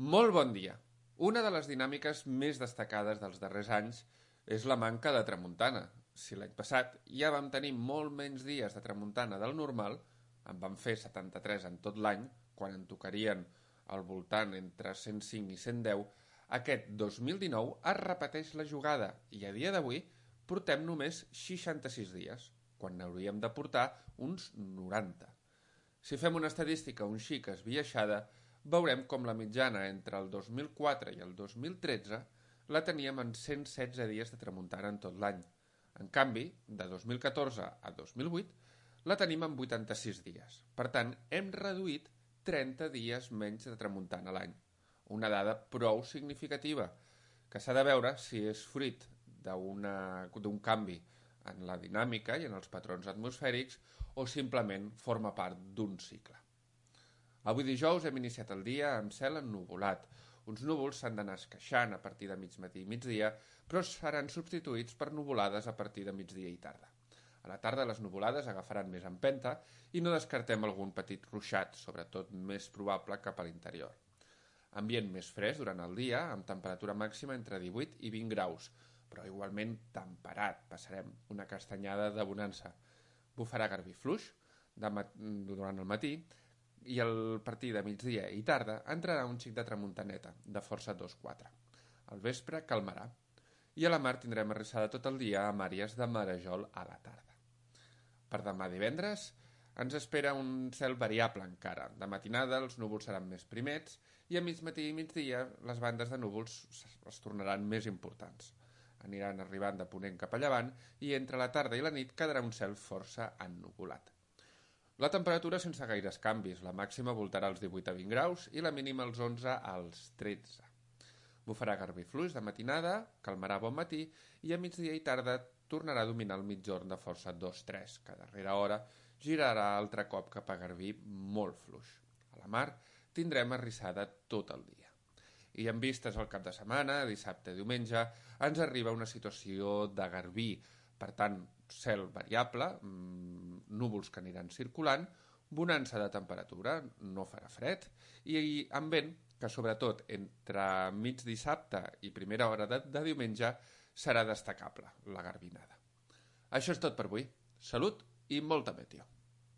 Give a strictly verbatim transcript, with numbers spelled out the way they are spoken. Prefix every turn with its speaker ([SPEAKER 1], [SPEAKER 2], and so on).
[SPEAKER 1] Molt bon dia. Una de les dinàmiques més destacades dels darrers anys és la manca de tramuntana. Si l'any passat ja vam tenir molt menys dies de tramuntana del normal, en vam fer setanta-tres en tot l'any, quan en tocarien al voltant entre cent cinc i cent deu, aquest dos mil dinou es repeteix la jugada i a dia d'avui portem només seixanta-sis dies, quan n'hauríem de portar uns noranta. Si fem una estadística un xic esbiaixada, veurem com la mitjana entre el dos mil quatre i el dos mil tretze la teníem en cent setze dies de tramuntana en tot l'any. En canvi, de dos mil catorze a dos mil vuit, la tenim en vuitanta-sis dies. Per tant, hem reduït trenta dies menys de tramuntana a l'any. Una dada prou significativa, que s'ha de veure si és fruit d'un canvi en la dinàmica i en els patrons atmosfèrics o simplement forma part d'un cicle. Avui dijous hem iniciat el dia amb cel ennuvolat. Uns núvols s'han d'anar esqueixant a partir de mig matí i migdia, però seran substituïts per nuvolades a partir de migdia i tarda. A la tarda les nuvolades agafaran més empenta i no descartem algun petit ruixat, sobretot més probable cap a l'interior. Ambient més fresc durant el dia, amb temperatura màxima entre divuit i vint graus, però igualment temperat, passarem una castanyada de bonança. Bufarà garbí fluix durant el matí i al partir de migdia i tarda entrarà un xic de tramuntaneta, de força dos quatre. Al vespre calmarà i a la mar tindrem arrissada tot el dia amb àrees de marejol a la tarda. Per demà divendres ens espera un cel variable encara. De matinada els núvols seran més primets i a mig matí i migdia les bandes de núvols es tornaran més importants. Aniran arribant de ponent cap a llevant i entre la tarda i la nit quedarà un cel força ennuvolat. La temperatura sense gaires canvis, la màxima voltarà als divuit a vint graus i la mínima als onze als tretze. Bufarà garbí fluix de matinada, calmarà bon matí i a migdia i tarda tornarà a dominar el mitjorn de força dos tres, que a darrera hora girarà altre cop cap a garbí molt fluix. A la mar tindrem arrissada tot el dia. I en vistes al cap de setmana, dissabte i diumenge, ens arriba una situació de garbí. Per tant, cel variable, núvols que aniran circulant, bonança de temperatura, no farà fred, i amb vent que sobretot entre mig dissabte i primera hora de, de diumenge serà destacable, la garbinada. Això és tot per avui. Salut i molta meteo.